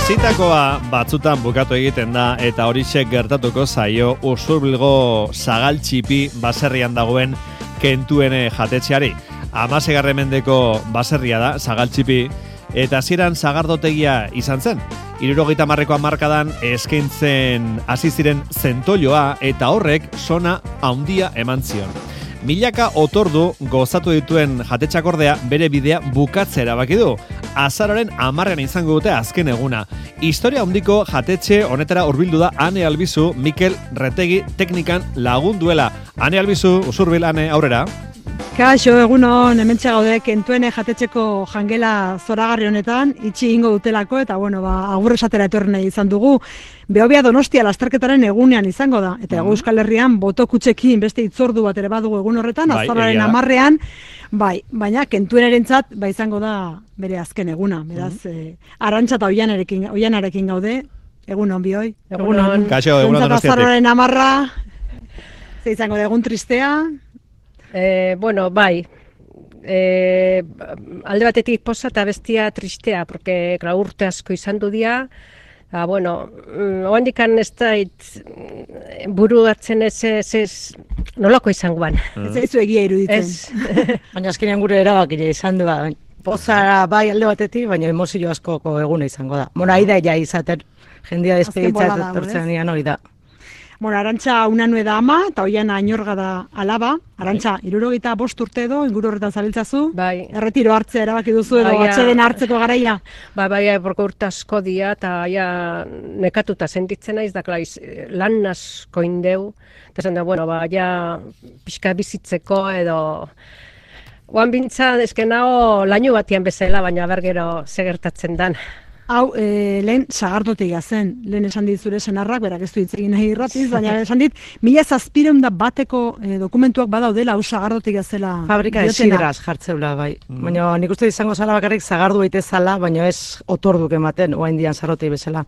Hasitakoa batzutan bukatu egiten da eta horixe gertatuko zaio Usurbilgo Sagaltxipi baserrian dagoen Kentuene jatetxeari. 16. mendeko baserria da Sagaltxipi eta hasieran sagardotegia izan zen. 70ko hamarkadan eskaintzen hasi ziren zentolloa eta horrek sona handia eman zion. Milaka otordu gozatu dituen jatetxak ordea bere bidea bukatzera erabaki du. Azaroaren 10 izango dute azken eguna. Historia handiko jatetxe honetara hurbildu da Ane Albizu, Mikel Retegi teknikan lagunduela. Ane Albizu, Usurbil, Ane, aurrera. Kaixo, egunon, hementxe gaude Kentuene jatetxeko jangela zoragarri honetan, itxi ingo dutelako, eta agur esatera etorri nahi izan dugu. Behobia Donostia lasterketaren egunean izango da, eta Hego Euskal Herrian botokutxekin beste itzordu bat ere badugu egun horretan, azaroaren 10ean, baina Kentuenerentzat izango da bere azken eguna, beraz, Arantxa eta Oianarekin gaude, egunon bioi. Egunon. Kaixo, egunon Donostiatik. Azaroaren 10, ze izango da egun tristea. Alde batetik poza eta bestia tristea, porque urte asko izan du dia, oandikan ez da buru hartzen ez nolako izango ban. Ez zaizu egia iruditzen. Baina azkenean gure erabakile izan du, pozara alde batetik, baina emozio askoko eguna izango da. Aida ja izaten, jendia despeditza etortzen nian hori da. Arantxa Unanue da ama, eta Oiana Añorga da alaba. Arantxa, 75 urte edo, inguru horretan zabiltzazu. Bai. Erretiro hartzea erabaki duzu edo atxeden hartzeko garaia. Porque urte asko dia, eta nekatuta sentitzen naiz, da lan asko indeu. Eta zen da, pixka bizitzeko edo... Oan bintza, ezkenao laino batian bezala, baina bergero segertatzen dan. Hau, lehen sagardotegia zen, lehen esan dit zure senarrak, berak ez du hitz egin nahi irratiz, baina esan dit, 1700 bateko dokumentuak badaudela, hau sagardotegia zela. Fabrika esidraz jartzeula, bai. Baina nik uste izango zala bakarrik zagardu baite zala, baina ez otorduk ematen, oain dian zarrotei bezala.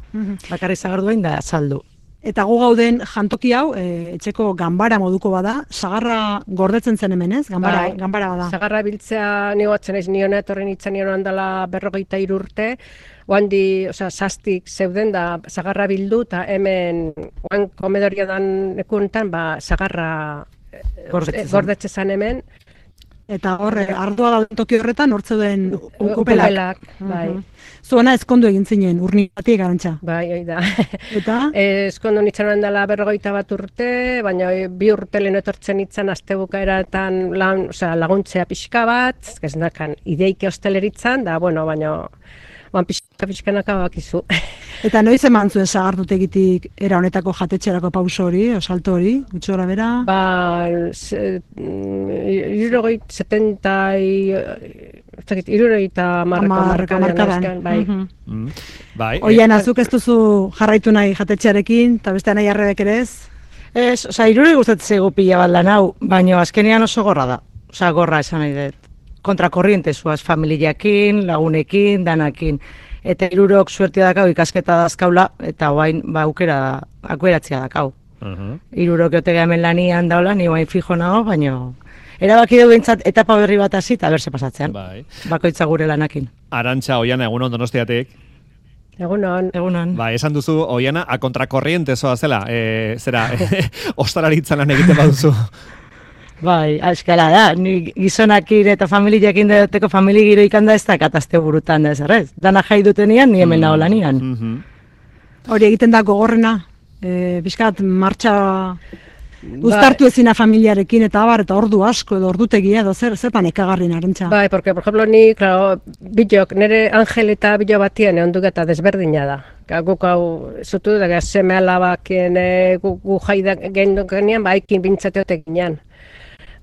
Bakarrik zagardu bain da saldu. Eta gu gauden jantoki hau, etxeko ganbara moduko bada, sagarra gordetzen zen hemen ez? Ganbara bada. Sagarra biltzea nigoatzen ez niona, etorren itzan niona handala 43 urte, oandi, sastik zeuden da sagarra bildu, eta hemen oan komedoria dan ekuntan, sagarra gordetze zen hemen. Eta horre, ardua da toki horretan, hortze duen ukupelak. Bai. Zuena ezkondu egin zinen, urniatik Arantxa. Bai, hori da. Eta? Ezkondu nintzen handela 41 urte, baina 2 urte lehen etortzen nintzen astebukaeratan laguntzea pixka bat, ez nakan ideike hosteleritzan, da, baina pixkanaka bakizu. Eta noiz eman zuen sagardotegitik era honetako jatetxerako pauso hori, salto hori, gutxo gara bera? 70 markadan. Bai. Oian, azuk ez duzu jarraitu nahi jatetxearekin, eta beste nahi arrebek ere ez? Ez, iruri gustatzen zaigu pila bat lan hau, baina azkenean oso gorra da. Gorra esan nahi dut. Kontrakorriente zuaz, familiakin, lagunekin, danakin. Eta irurok suertia dakau ikasketa dazkaula, eta guain aukeratzea dakau. Irurok jotegea hemen lanian daula, ni guain fijo nago, baina erabaki du bintzat etapa berri bat hasi eta berse pasatzean. Bakoitza gure lanakin. Arantxa, Oiana, egunon Donostiatik. Egunon. Esan duzu, Oiana, a kontrakorriente zoa zela, ostalaritzan lan egiten baduzu. Bai, eskala da, ni gizonakin eta familiakin duteko familigiro ikanda ez da katazte burutan da ez errez. Dana jai dutenian, ni hemen nago lanian. Hori egiten da gogorrena, bizkat martxa uztartu ezina familiarekin eta ordu asko edo ordutegia edo zertan ekagarrin Arantxa. Bai, porque, por ejemplo, ni, bilok, nire Angel eta bilo batien egon eta desberdina da. Guk hau, zutu da, seme alabakien gu jai gendukenean, haikin bintzateotek ginean.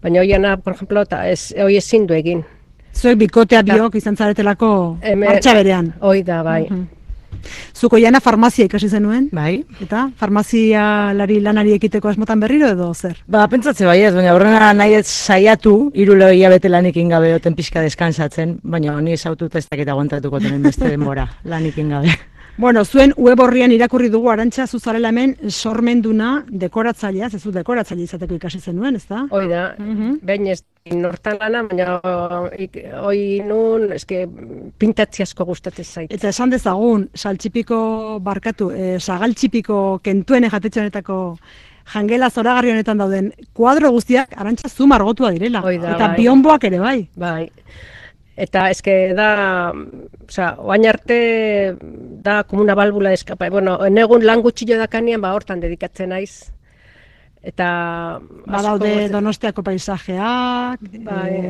Baina Oiana, por ejemplo, hoi ezin du egin. Zuek bikotea biok izan zaretelako martxa berean. Hoi da, bai. Zuko Oiana farmazia ikasi zenuen? Bai. Eta farmazia lanari ekiteko asmotan berriro edo zer? Pentsatze bai ez, baina horrena nahi ez saiatu, 3 hilabete lanikin gabe oten pixka deskansatzen, baina ni esaututa ez dakit aguantatuko tenen beste denbora lanikin gabe. Bueno, zuen web horrian irakurri dugu Arantxa zuzarela hemen sormenduna dekoratzailea, zezu dekoratzaile izateko ikasi zenuen, ezta? Hoi da, behin ez nortan lana, baina hoi nun, eske pintatzi asko gustatzen zait. Eta esan dezagun, sagaltxipiko kentuen jatetxe honetako jangela zoragarri honetan dauden kuadro guztiak Arantxa zu margotua direla. Eta bionboak ere bai. Bai. Eta eske da, oain arte da como una válvula de escape. Bueno, egun lan gutxillo dakanean, hortan dedikatzen naiz. Eta badaude Donostiako paisajeak,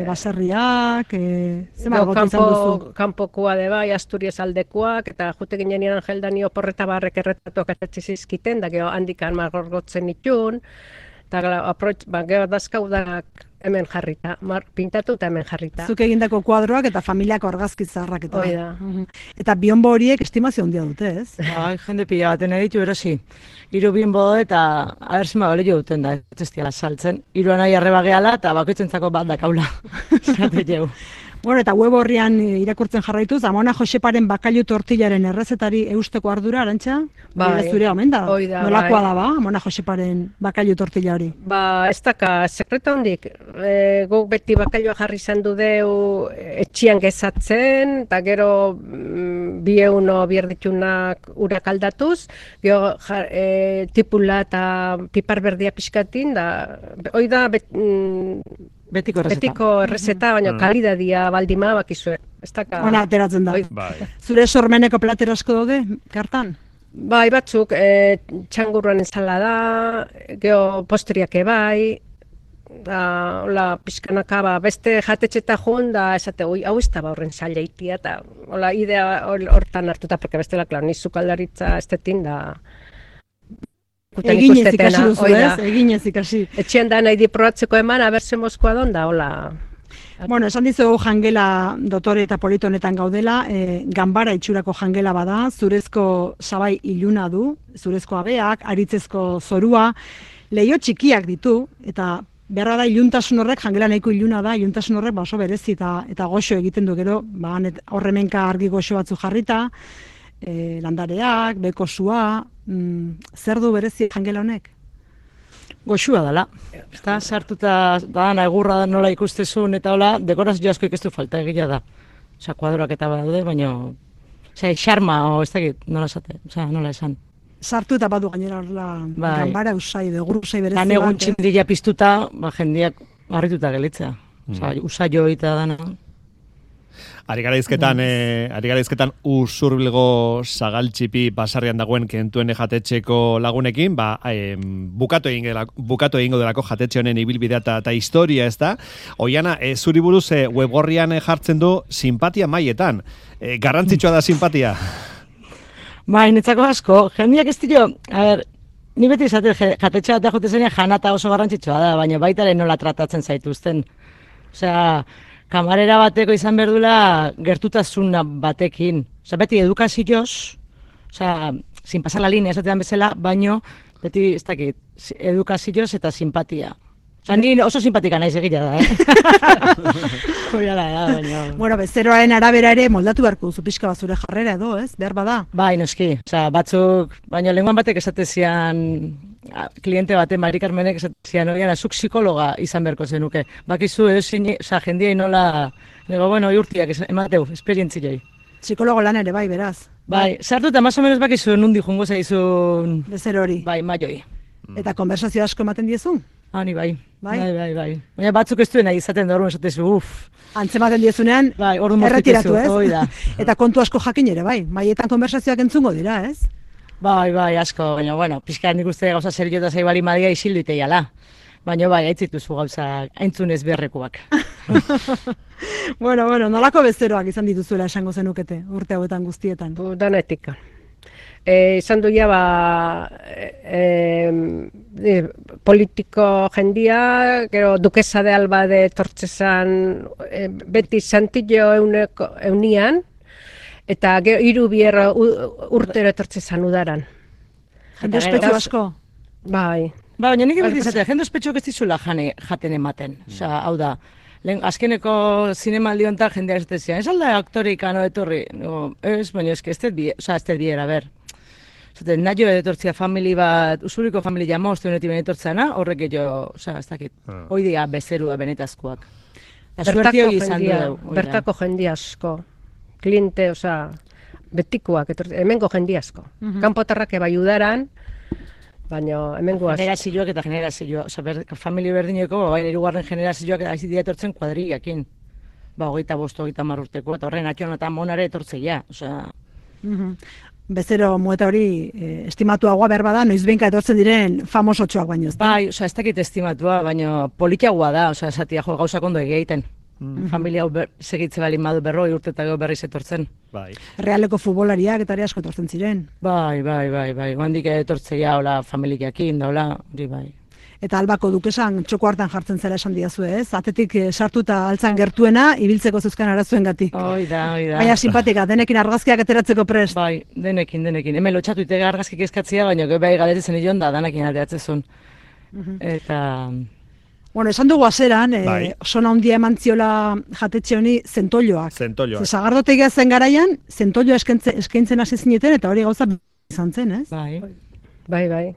baserriak, ze margotu izan duzu? Kanpokoa de bai, Asturias aldekoak, eta jute ginean Angeldani oporreta barrek erretatuak atatzi zizkiten, da geho handikan margorgotzen itun, eta geho dazkaudak hemen jarrita, pintatu eta hemen jarrita. Zuk egindako kuadroak eta familiako argazki zaharrak eta. Eta bionbo horiek estimazio handia dute, ez? Bai, jende pila baten editu erosi. 3 bionbo eta abersima bale jo duten da, ez diala saltzen. 3 nahi arreba gehala eta bakoitzentzako bat dakaula. Zate jau. Bueno, eta web horrian irakurtzen jarraituz, Amona Joseparen bakailu tortillaren errezetari eusteko ardura, Arantxa? Bai, zure omen da? Nolakoa da ba, Amona Joseparen bakailu tortilla hori? Ez daka, sekreto hondik, guk beti bakailua jarri izan du deu etxian gezatzen, eta gero 2 euro bierditunak urak aldatuz, gero tipula eta pipar berdia pixkatin, da, hoi da Betiko errezeta, baina kalidadia baldima bakizue. Ona, ateratzen da. Zure sormeneko plater asko daude, kartan? Bai, batzuk, txangurruan ensalada, geho postriak ebai, hola, pixkanaka, beste jatetxeta joan, da, esate, hau ez da horren zaila itia, eta hola, idea hortan hartuta, porque bestela, klar, nizu kaldaritza estetin, da, Eginez ikasi duzu, ez? Eginez ikasi. Etxean da nahi di probatzeko eman, aberse Moskoa donda, hola. Bueno, esan dizugu jangela dotore eta polito honetan gaudela, ganbara itxurako jangela bada, zurezko sabai iluna du, zurezko abeak, aritzezko zorua, leio txikiak ditu, eta beharra da iluntasun horrek, jangela nahiko iluna da, iluntasun horrek oso berezi eta goxo egiten du gero, horremenka argi goxo batzu jarrita, landareak, bekosua, zer du berezi jangela honek? Goxua dela. Eta sartuta da, egurra nola ikustezun eta hola, dekorazio asko ikestu falta egia da. Osa, kuadroak eta badaude, baina xarma, ez dakit, nola esate, nola esan. Sartu eta badu gainera horla ganbara usai, begur usai berezi bat. Lan egun txindila piztuta, jendeak harrituta gelitzea. Usaio eta dana. Ari garaizketan Usurbilgo sagaltxipi basarrian dagoen kentuen jatetxeko lagunekin, bukatu egingo delako jatetxe honen ibilbidea eta historia, ez da? Oiana, zuri buruz webgorrian jartzen du simpatia maietan. Garrantzitsua da simpatia? Bai, netzako asko, jendeak ez dio, ni beti izate jatetxe bat jote zenean janata oso garrantzitsua da, baina baitaren nola tratatzen zaituzten. Osea, kamarera bateko izan berdula gertutasun batekin. Osea, beti edukazioz, sin pasar la linea esatean bezala, baino beti ez dakit, edukazioz eta simpatia. Ni oso simpatika naiz egila da, Bueno, bezeroaren arabera ere moldatu beharko duzu pixka bat zure jarrera edo, ez? Behar bada? Bai, noski. Batzuk, baina lenguan batek esatezian, kliente baten, Mari Carmenek esatezian, oian, azuk psikologa izan beharko zenuke. Bakizu, jendiei nola, bueno, urtiak emateu, esperientzioi. Psikologo lan ere, bai, beraz. Bai, sartu eta más o menos bakizu nundi jungo zaizun... Bezero hori. Bai, maioi. Eta konversazio asko ematen diezu? Ni bai. Bai. Baina batzuk ez duena izaten da orduan esatezu, Antzematen diezunean, erretiratu, ez? Eta kontu asko jakin ere, bai. Maietan konversazioak entzungo dira, ez? Bai, asko. Baina, bueno, pixka nik uste gauza serio eta zaibali madia isildu iteiala. Baina, bai, aitzituzu gauza aintzunez berrekuak. Bueno, nolako bezeroak izan dituzuela esango zenukete, urte hauetan guztietan? Danetika. Izan du politiko jendia, gero dukesa de Alba de Tortzezan beti santillo eunian, eta gero 3 urtero Tortzezan udaran. Jende ospetsu asko? Bai. Baina nik beti izatea, jende ospetsuak ez dizula jaten ematen. Hau da, Azkeneko zinemaldi honetan jendea ez dezian, ez alda aktorika no etorri? No, ez, baina ez biera, ber. Zaten, nahi jo etortzia famili bat, usuriko familia moztu honetik benetortzena, horrek jo, ez dakit, hoidia bezerua benetazkoak. Bertako jende asko, klinte, betikoak, hemengo jende asko. Kanpotarrak bai udaran, baina hemengo asko. Generazioak eta generazioak, familia berdineko, hirugarren generazioak hasi dira etortzen kuadrillakin. 25, 30 urteko, eta horren atxon eta monare etortzeia, Bezero mueta hori estimatuagoa behar bada, noiz behinka etortzen diren famosotxoak baino. Bai, ez dakit estimatua, baina politiagoa da, esatia gauzak ondo egiten. Familia hau segitze balin badu 40 urte eta berriz etortzen. Bai. Realeko futbolariak eta asko etortzen ziren. Bai. Handik etortzeia, hola, familiakin, da, hola, hori bai. Eta Albako dukesan txoko hartan jartzen zela esan diazu, ez? Atetik sartuta altzan gertuena, ibiltzeko zeuzkan arazuen gatik. Oida. Baina simpatika, denekin argazkiak ateratzeko prest. Bai, denekin. Hemen lotxatu itega argazkik eskatzia, baina bai galetzen ion da, danekin ateratzezun. Eta... Bueno, esan dugu azeran, sona handia eman ziola jatetxe honi zentolloak. Zagardotegia zen garaian, zentolloa eskaintzen hasi zineten, eta hori gauza izan zen, ez? Bai.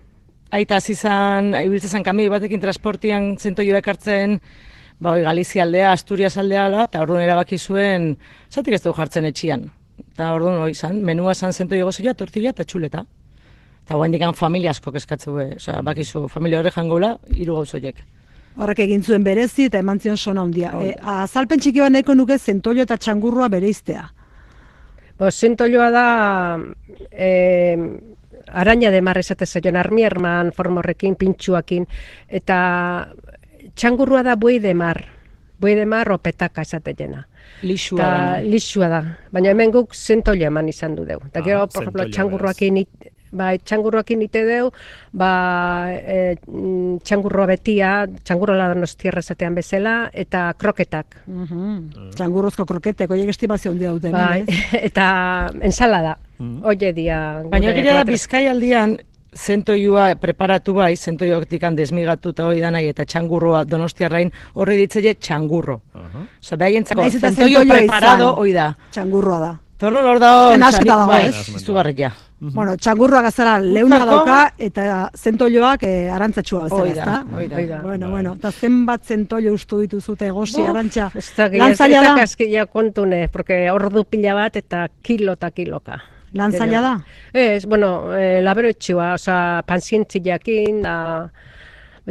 Aita zizan, ibiltzen kami batekin transportian zentolloa ekartzen, Galizia aldea, Asturias aldea, eta orduan erabaki zuen, zatik ez dugu jartzen etxian. Eta orduan hori izan, menua zan zentollo gozioa, tortilla eta txuleta. Eta guain dikan familia asko eskatzu, bakizu, familia horre jangola, 3 gauzoiek. Horrek egin zuen berezi eta eman zion sona handia. Azalpen txiki bat nahiko nuke zentollo eta txangurroa bereiztea. Zentolloa da araña de mar esate zaioan, armierman formorrekin, pintxuakin, eta txangurroa da buei de mar opetaka esate jena. Lixua da. Baina hemen guk zentollo eman izan du deu. Eta gero, por ejemplo, txangurroakin ite deu, txangurroa betia, txangurroa donostierra esatean bezala, eta kroketak. Txangurrozko kroketek, oiek estimazio handia duten. Eta ensalada. Oie dia... Baina gira da Bizkai aldian zentoioa preparatu bai, zentoioak desmigatu eta hori danai, eta txangurroa donostiarrain horri ditzele txangurro. Osa, behaientzako zentoio preparado hori da. Txangurroa da. Torno hor da hor, izugarrik ja. Bueno, txangurroa gazara leuna dauka eta zentoioak arantzatxua bezala, ezta? Bueno, eta zenbat zentoio ustu dituzute egosi, arantxa. Lan zaila da? Kaskia kontune, porque ordu pila bat eta kiloka. Lan zaila da? Ez, labero etxua, panzientziakin,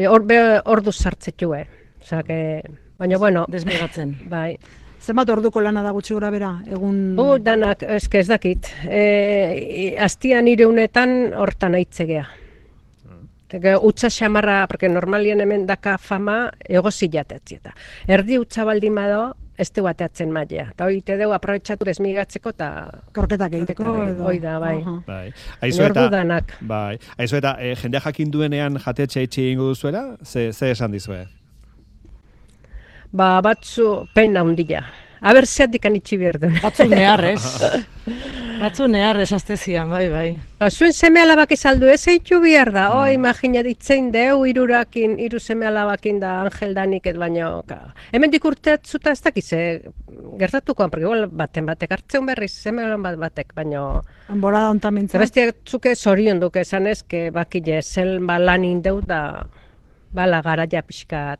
ordu sartzetue. Baina, desmigatzen. Bai. Zenbat orduko lana da gutxi gora bera, egun... Danak, ez dakit. Aztian 300 hortan aitzegea. Utsa xamarra, porque normalien hemen daka fama egozi jatetzieta. Erdi utsa baldin bado, ez du bateatzen mailea. Eta hori te deu aprobetxatu desmigatzeko eta... Korketak egiteko. Hoi da, bai. Nordu danak. Aizu eta, jendea jakin duenean jatetxe itxi ingo duzuela, ze esan dizue? Batzu pena handia. Aber zeatik anitxi berdun. Batzu neharrez aztezian, bai. Zuen seme alabak izaldu ez eitu behar da. Imagina ditzen deu, 3 seme alabakin da Angel Danik baino. Hemen dikurtetzuta ez dakize gertatuko, porque baten batek hartzeun berriz, seme alaban batek, baino... Enbora da ontan mintzen. Bestiak zuke zorion duke esan ez, bakile zel lanin deu da... Bala garaia pixkat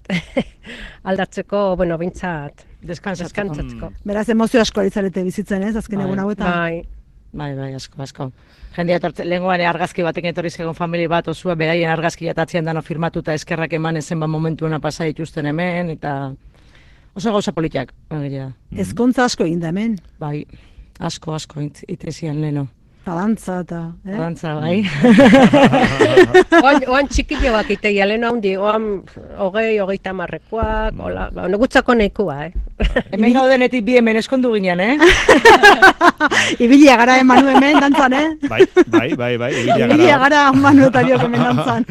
aldatzeko, bintzat, deskantzatzeko. Beraz, emozio asko aritzarete bizitzen ez, azken egun hauetan? Bai, asko. Jendea lehengoan argazki batek etorri zegoen familia bat osua, beraien argazki atatzean dano firmatuta eskerrak eman ezen momentuena pasa dituzten hemen, eta oso gauza politiak. Ezkontza asko egin da hemen? Bai, asko, itezian leheno. Dantza eta... Dantza, bai. Oan txikillo bak iteia, lehen handi, oan 20-30 marrekoak, gutzako nahikoa, Hemen gaudenetik bi hemen eskondu ginen, Ibilia gara Manu hemen dantzan, Bai, ibilia gara Manu eta biok hemen dantzan.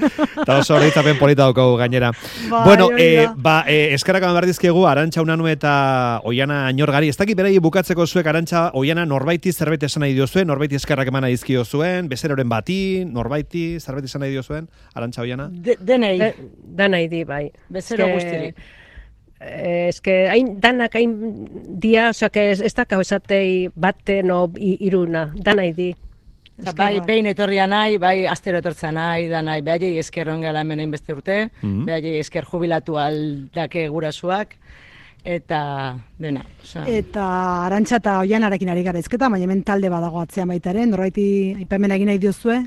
Eta oso horitzapen polita daukagu gainera. Bueno, eskerrak eman behar dizkiegu, Arantxa Unanue eta Oiana Añorgari. Ez dakit berai bukatzeko zuek, Arantxa, Oiana, norbaiti zerbait esan nahi diozuen, norbaiti eskerrak eman nahi dizkio zuen, bezeroren bati, norbaiti zerbait esan nahi diozuen, Arantxa Oiana? Denei. Denei di, bai. Bezero guztirik. hain danak hain dia, osea, ez dakau esatei baten o iruna, danai di. Bai, behin etorria nahi, bai, astero etortza nahi, da nahi, behaiei esker ongela hemen egin beste urte, behaiei esker jubilatu aldake gurasuak, eta dena. Eta Arantxa eta Oianarekin ari gara izketa, baina hemen talde badago atzean baitaren, norbaiti aipamen egin nahi diozue?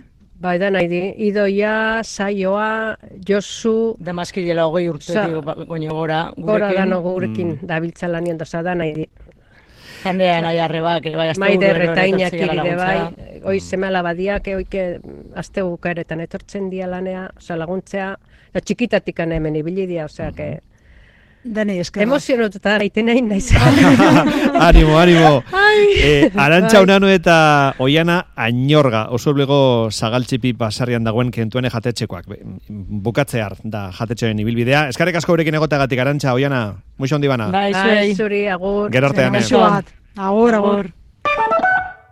Bai, da nahi di, Idoia, Saioa, Josu... Damaskilela 20 urtetik goño gora gurekin. Gora dano gurekin, da biltza lanien doza, da nahi di. Jendea nahi arrebak, bai, azte Maider eta Iñakiri bai, oi semela badiak, oike azte bukaeretan etortzen dia lanea, oza laguntzea, txikitatik hemen ibili dia, osea, que... Denei eskerra. Emozionututa gaiten nahi naiz. Animo. Arantxa Unanu eta Oiana Añorga, oso blego zagaltxipi basarrian dagoen kentuene jatetxekoak. Bukatzear da jatetxearen ibilbidea. Eskarek asko eurekin egoteagatik, Arantxa, Oiana, muixo handi bana. Bai, Zuri, agur. Gerortean. Agur.